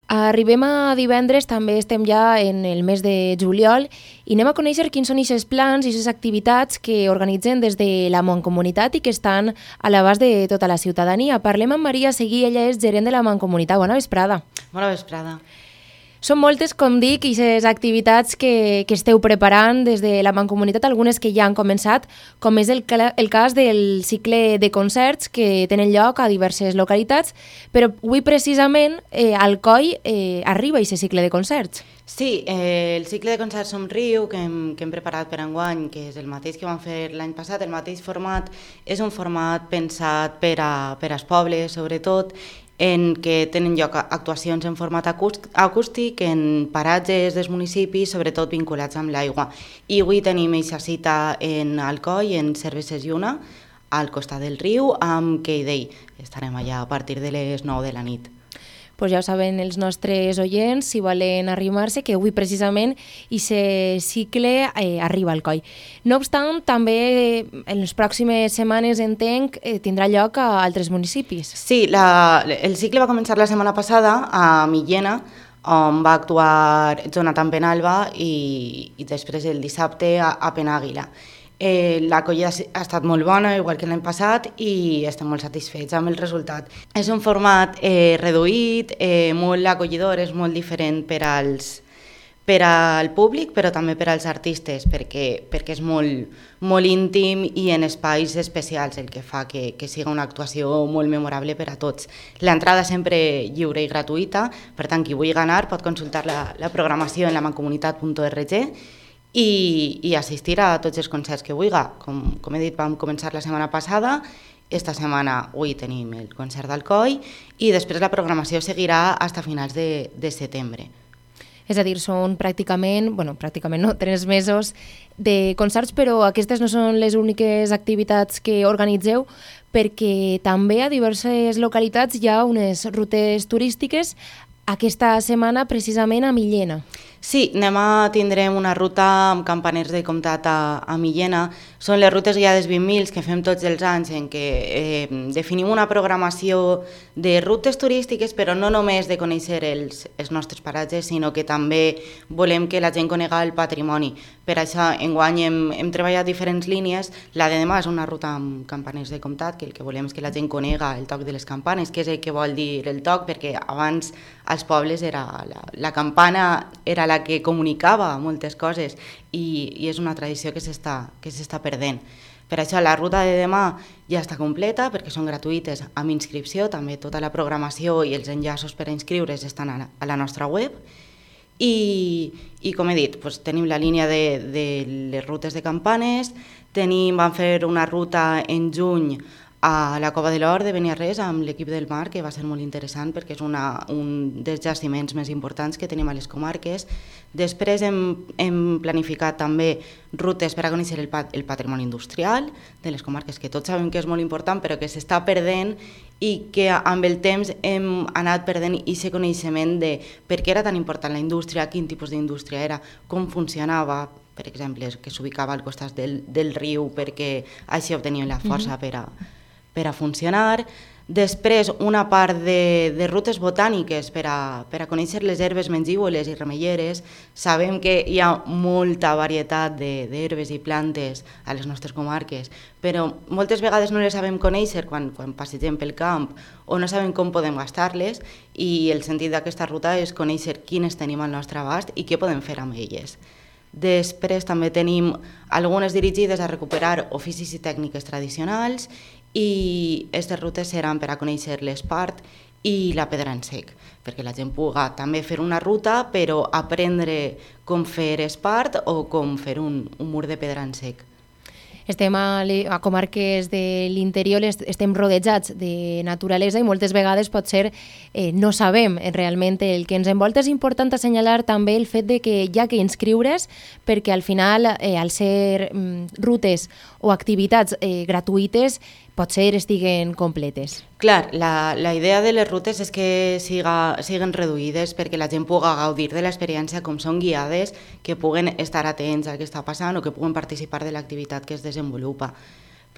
Arribem a divendres, també estem ja en el mes de juliol i anem a conèixer quins són aquests plans i aquestes activitats que organitzen des de la Mancomunitat i que estan a l'abast de tota la ciutadania. Parlem amb Maria Seguí, ella és gerent de la Mancomunitat. Bona vesprada. Bona vesprada. Són moltes, com dic, aquestes activitats que esteu preparant des de la Mancomunitat, algunes que ja han començat, com és el cas del cicle de concerts que tenen lloc a diverses localitats, però avui precisament al Coll arriba aquest cicle de concerts. Sí, el cicle de concerts Somriu que hem preparat per enguany, que és el mateix que vam fer l'any passat, el mateix format, és un format pensat per als pobles, sobretot, en què tenen lloc actuacions en format acústic en paratges dels municipis, sobretot vinculats amb l'aigua. I avui tenim aquesta cita en Alcoi, en Cerveses Lluna, al costat del riu, amb Keidei. Estarem allà a partir de les 9 de la nit. Pues ja ho saben els nostres oients, si volen arrimar-se, que avui precisament aquest cicle arriba al Coll. No obstant, també en les pròximes setmanes, entenc, tindrà lloc a altres municipis. Sí, el cicle va començar la setmana passada a Millena, on va actuar Jonathan Penalba i després el dissabte a Penàguila. L'acollida ha estat molt bona, igual que l'any passat, i estem molt satisfets amb el resultat. És un format reduït, molt acollidor, és molt diferent per al públic, però també per als artistes, perquè és molt íntim i en espais especials, el que fa que sigui una actuació molt memorable per a tots. L'entrada sempre lliure i gratuïta, per tant, qui vulgui anar pot consultar la programació en lamancomunitat.org i assistir a tots els concerts que vulgui. Com he dit, vam començar la setmana passada, esta setmana avui tenim el concert d'Alcoi i després la programació seguirà fins a finals de setembre. És a dir, són pràcticament no, 3 mesos de concerts, però aquestes no són les úniques activitats que organitzeu, perquè també a diverses localitats hi ha unes rutes turístiques aquesta setmana precisament a Millena. Sí, tindrem una ruta amb campaners de comtat a Millena. Són les rutes guiades 20.000 que fem tots els anys en què definim una programació de rutes turístiques, però no només de conèixer els nostres paratges, sinó que també volem que la gent conegui el patrimoni. Per això, enguany hem treballat diferents línies. La de demà és una ruta amb campaners de comtat, que el que volem és que la gent conegui el toc de les campanes, que és el que vol dir el toc, perquè abans als pobles la campana era la que comunicava moltes coses i és una tradició que s'està perdent. Per això la ruta de demà ja està completa perquè són gratuïtes amb inscripció, també tota la programació i els enllaços per a inscriure's estan a la nostra web i com he dit, tenim la línia de les rutes de campanes, vam fer una ruta en juny a la Cova de l'Or de Beniarrés amb l'equip del mar, que va ser molt interessant perquè és un dels jaciments més importants que tenim a les comarques. Després hem planificat també rutes per a conèixer el patrimoni industrial de les comarques, que tots sabem que és molt important però que s'està perdent i que amb el temps hem anat perdent aquest coneixement de per què era tan important la indústria, quin tipus d'indústria era, com funcionava, per exemple, que s'ubicava al costat del riu perquè així obteníem la força per a funcionar. Després, una part de rutes botàniques per a conèixer les herbes mengívoles i remeieres. Sabem que hi ha molta varietat d'herbes i plantes a les nostres comarques, però moltes vegades no les sabem conèixer quan passegem pel camp o no sabem com podem gastar-les, i el sentit d'aquesta ruta és conèixer quines tenim al nostre abast i què podem fer amb elles. Després també tenim algunes dirigides a recuperar oficis i tècniques tradicionals, i aquestes rutes seran per a conèixer l'espart i la pedra en sec, perquè la gent pugui també fer una ruta però aprendre com fer espart o com fer un mur de pedra en sec. Estem a comarques de l'interior, estem rodejats de naturalesa i moltes vegades potser no sabem realment el que ens envolta. És important assenyalar també el fet de que hi ha que inscriure's perquè al final, al ser rutes o activitats gratuïtes, potser estiguen completes. Clar, la idea de les rutes és que siguin reduïdes perquè la gent pugui gaudir de l'experiència com són guiades, que puguen estar atents al que està passant o que puguen participar de l'activitat que es desenvolupa.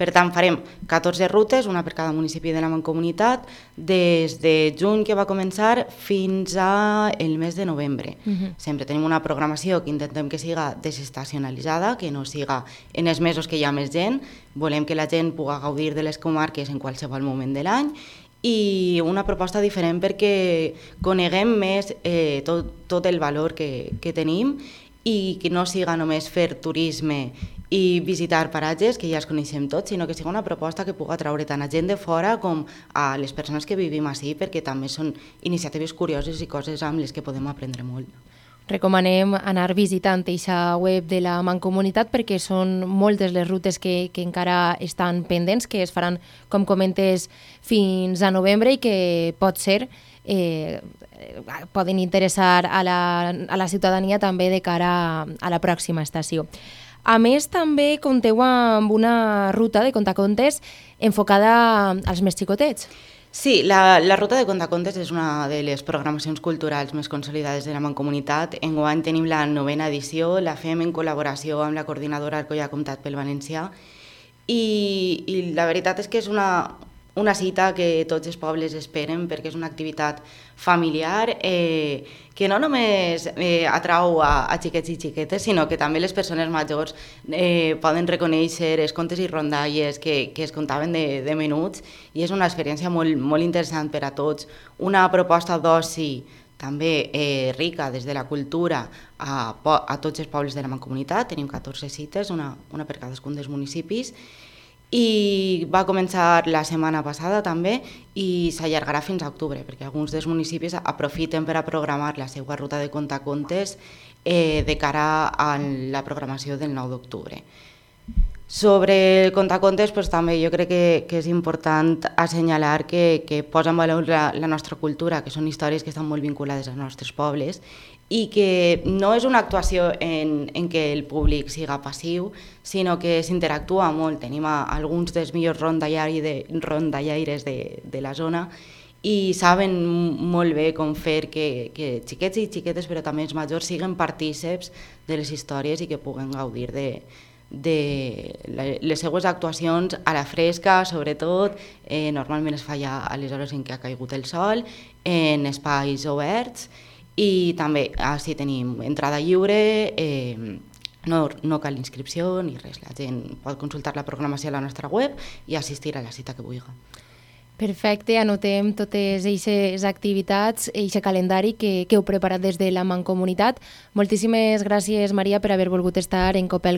Per tant, farem 14 rutes, una per cada municipi de la Mancomunitat, des de juny que va començar fins al mes de novembre. Sempre tenim una programació que intentem que siga desestacionalitzada, que no siga en els mesos que hi ha més gent. Volem que la gent pugui gaudir de les comarques en qualsevol moment de l'any, i una proposta diferent perquè coneguem més tot el valor que tenim, i que no siga només fer turisme i visitar paratges que ja els coneixem tots, sinó que siga una proposta que pugui atraure tant a gent de fora com a les persones que vivim així, perquè també són iniciatives curioses i coses amb les que podem aprendre molt. Recomanem anar visitant aquesta web de la Mancomunitat perquè són moltes les rutes que encara estan pendents, que es faran, com comentes, fins a novembre, i que pot ser poden interessar a la ciutadania també de cara a la pròxima estació. A més, també compteu amb una ruta de contacontes enfocada als més xicotets. Sí, la ruta de contacontes és una de les programacions culturals més consolidades de la Mancomunitat. Enguany tenim la 9ª edició, la fem en col·laboració amb la coordinadora Alcoià Comtat pel Valencià, i la veritat és que és una cita que tots els pobles esperen, perquè és una activitat familiar que no només atrau a xiquets i xiquetes, sinó que també les persones majors poden reconèixer els contes i rondalles que es contaven de menuts, i és una experiència molt, molt interessant per a tots. Una proposta d'oci també rica des de la cultura a tots els pobles de la Mancomunitat. Tenim 14 cites, una per cadascun dels municipis, i va començar la setmana passada també, i s'allargarà fins a octubre, perquè alguns dels municipis aprofiten per a programar la seva ruta de contacontes de cara a la programació del 9 d'octubre. Sobre el contacontes, també jo crec que és important assenyalar que posa en valor la nostra cultura, que són històries que estan molt vinculades als nostres pobles, i que no és una actuació en què el públic siga passiu, sinó que s'interactua molt. Tenim alguns dels millors rondallaires de la zona, i saben molt bé com fer que xiquets i xiquetes, però també els majors, siguin partíceps de les històries i que puguen gaudir de les seues actuacions a la fresca, sobretot. Normalment es fa ja a les hores en què ha caigut el sol, en espais oberts, i també així tenim entrada lliure, no cal inscripció ni res. La gent pot consultar la programació a la nostra web i assistir a la cita que vulgui. Perfecte, anotem totes aquestes activitats, aquest calendari que heu preparat des de la Mancomunitat. Moltíssimes gràcies, Maria, per haver volgut estar en Copel